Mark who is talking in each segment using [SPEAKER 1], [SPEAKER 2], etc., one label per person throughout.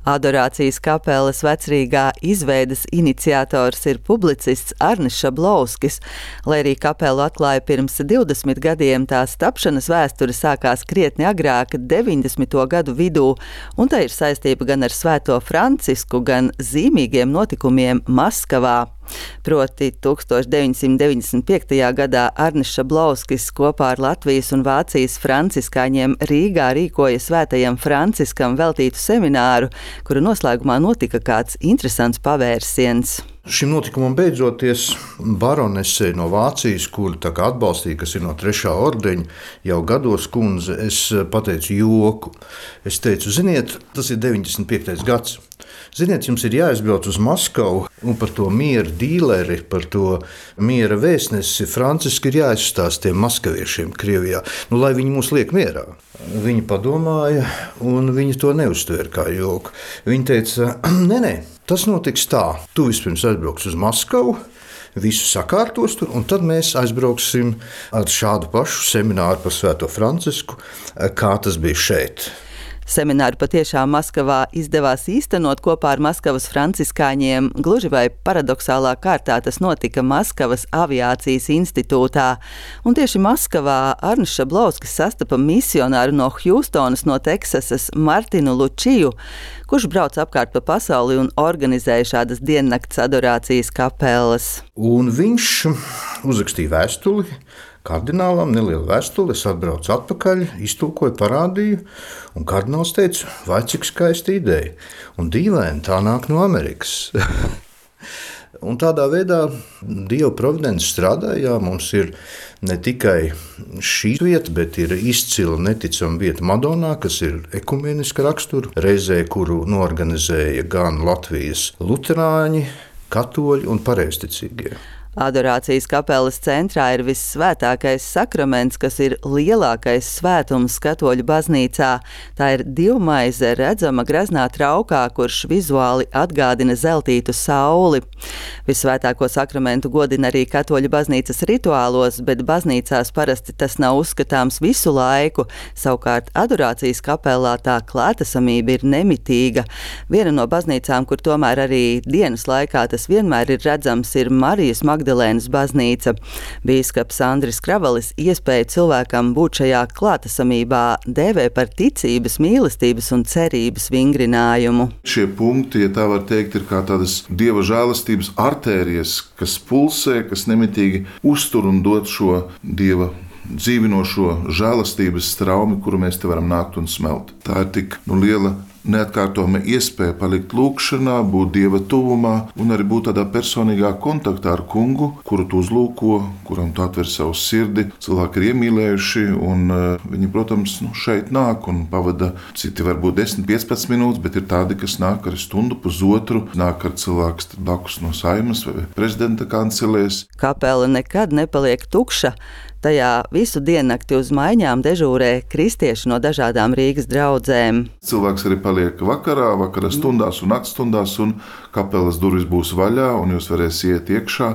[SPEAKER 1] Adorācijas kapeles vecrīgā izveides iniciators ir publicists Arnis Šablovskis. Lai arī kapelu atklāja pirms 20 gadiem, tās tapšanas vēsture sākās krietni agrāk, 90. gadu vidū, un tā ir saistība gan ar Svēto Francisku, gan zīmīgiem notikumiem Maskavā. Proti 1995. gadā Arnis Šablovskis kopā ar Latvijas un Vācijas franciskāņiem Rīgā rīkoja Svētajam Franciskam veltītu semināru, kura noslēgumā notika kāds interesants pavērsiens.
[SPEAKER 2] Šim notikumam beidzoties, baronese no Vācijas, kuru atbalstīja, kas ir no 3. ordeņa, jau gados kundze, es pateicu joku. Es teicu, ziniet, tas ir 95. gads. Ziniet, jums ir jāizbrauc uz Maskavu un par to miera dīleri, par to miera vēstnesi Franciski ir jāizstāsta tiem maskaviešiem Krievijā, lai viņi mūs liek mierā. Viņi padomāja un viņi to neuztvēra kā joku. Viņi teica, nē, tas notiks tā, tu vispirms aizbrauks uz Maskavu, visu sakārtos tur, un tad mēs aizbrauksim ar šādu pašu semināru par Svēto Francisku, kā tas bija šeit.
[SPEAKER 1] Semināru patiešām Maskavā izdevās īstenot kopā ar Maskavas franciskāņiem. Gluži vai paradoxālā kārtā tas notika Maskavas aviācijas institūtā. Un tieši Maskavā Arnis Šablovskis sastapa misionāru no Hjustonas, no Teksasas, Martinu Lučiju, kurš brauc apkārt pa pasauli un organizēja šādas diennakts adorācijas kapeles.
[SPEAKER 2] Un viņš uzrakstīja vēstuli kardinālam, nelielu vēstuli, es atbraucu atpakaļ, iztulkoju, parādīju, un kardināls teica, vai cik skaista ideja. Un dīvaini, tā nāk no Amerikas. Un tādā veidā Dieva providence strādāja. Mums ir ne tikai šī vieta, bet ir izcila neticama vieta Madonā, kas ir ekumeniska rakstura, reizē, kuru norganizēja gan Latvijas luterāņi, katoļi un pareizticīgie.
[SPEAKER 1] Adorācijas kapeles centrā ir vissvētākais sakraments, kas ir lielākais svētums katoļu baznīcā. Tā ir divmaize redzama greznā traukā, kurš vizuāli atgādina zeltītu sauli. Vissvētāko sakramentu godina arī katoļu baznīcas rituālos, bet baznīcās parasti tas nav uzskatāms visu laiku. Savukārt adorācijas kapelā tā klātesamība ir nemitīga. Viena no baznīcām, kur tomēr arī dienas laikā tas vienmēr ir redzams, ir Marijas Magdalēnas baznīca. Bīskaps Andris Kravalis iespēju cilvēkam būt šajā klātesamībā dēvē par ticības, mīlestības un cerības vingrinājumu.
[SPEAKER 3] Šie punkti, ja tā var teikt, ir kā tādas Dieva žēlastības artērijas, kas pulsē, kas nemitīgi uztur un dod šo Dieva dzīvinošo žēlastības straumi, kuru mēs te varam nākt un smelt. Tā ir tik liela neatkārtojama iespēja palikt lūkšanā, būt Dieva tuvumā un arī būt tādā personīgā kontaktā ar kungu, kuru tu uzlūko, kuram tu atver savu sirdi. Cilvēki ir iemīlējuši un viņi, protams, šeit nāk un pavada citi varbūt 10-15 minūtes, bet ir tādi, kas nāk ar stundu, pusotru, nāk ar cilvēks blakus no Saeimas vai prezidenta kancelēs.
[SPEAKER 1] Kapela nekad nepaliek tukša. Tajā visu diennakti uz maiņām dežūrē kristieši no dažādām Rīgas draudzēm.
[SPEAKER 3] Cilvēks arī paliek vakara stundās un naktstundās, un kapelas durvis būs vaļā, un jūs varēsiet iet iekšā.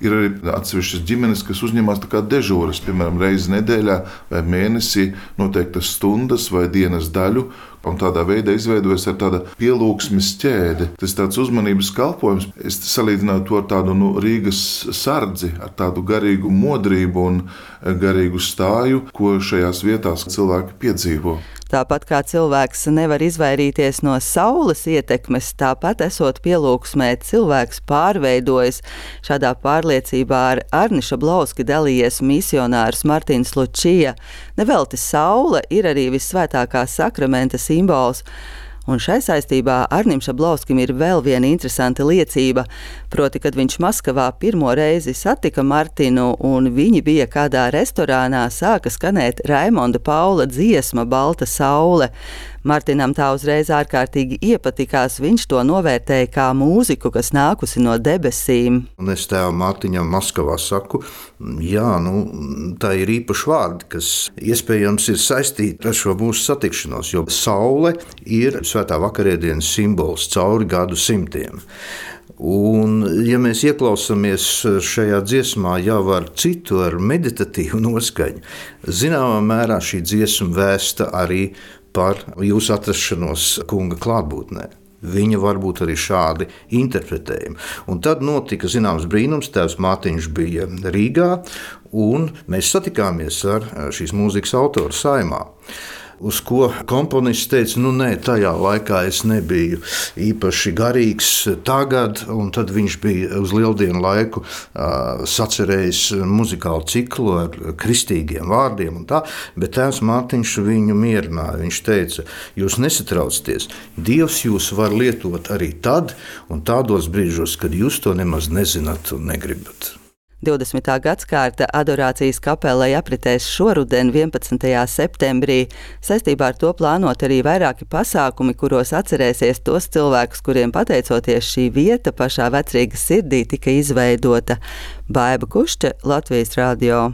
[SPEAKER 3] Ir arī atsevišķas ģimenes, kas uzņemās tā kā dežūras, piemēram, reizi nedēļā vai mēnesī noteiktas stundas vai dienas daļu, un tādā veidā izveidojas ar tāda pielūgsmes ķēde. Tas tāds uzmanības kalpojums. Es salīdzinātu to ar tādu Rīgas sardzi, ar tādu garīgu modrību un garīgu stāju, ko šajās vietās cilvēki piedzīvo.
[SPEAKER 1] Tāpat kā cilvēks nevar izvairīties no saules ietekmes, tāpat esot pielūgsmē, cilvēks pārveidojas. Šādā pārliecībā ar Arni Šablovski dalījies misionārs Martins Lučija. Nevelti saule ir arī vissvētākā sakramenta simbols. Un šai saistībā Arnim Šablovskim ir vēl viena interesanta liecība, proti, kad viņš Maskavā pirmo reizi satika Martinu un viņi bija kādā restorānā, sāka skanēt Raimonda Paula dziesma Balta saule. Martinam tā uzreiz ārkārtīgi iepatikās, viņš to novērtēja kā mūziku, kas nākusi no debesīm.
[SPEAKER 2] Un es tēvam Mārtiņam Maskavā saku, jā, tā ir īpaši vārdi, kas iespējams ir saistīti ar šo mūsu satikšanos, jo saule ir svētā vakarēdienas simbols cauri gadu simtiem. Un, ja mēs ieklausāmies šajā dziesmā jau ar citu, ar meditatīvu noskaņu, zināmā mērā šī dziesma vēsta arī par jūsu atrašanos kunga klātbūtnē. viņa varbūt arī šādi interpretējumi. Un tad notika zināms brīnums, tēvs Mārtiņš bija Rīgā, un mēs satikāmies ar šīs mūzikas autoru saimā. Uz ko komponists teica, nē, tajā laikā es nebiju īpaši garīgs tagad, un tad viņš bija uz lieldienu laiku sacerējis muzikālu ciklu ar kristīgiem vārdiem un tā, bet tēvs Mārtiņš viņu mierināja. Viņš teica, jūs nesatraucieties, Dievs jūs var lietot arī tad un tādos brīžos, kad jūs to nemaz nezināt un negribat.
[SPEAKER 1] 20. gadskārta adorācijas kapelai apritēs šoruden 11. septembrī. Saistībā ar to plānot arī vairāki pasākumi, kuros atcerēsies tos cilvēkus, kuriem pateicoties šī vieta pašā Vecrīgas sirdī tika izveidota. Baiba Kušķe, Latvijas radio.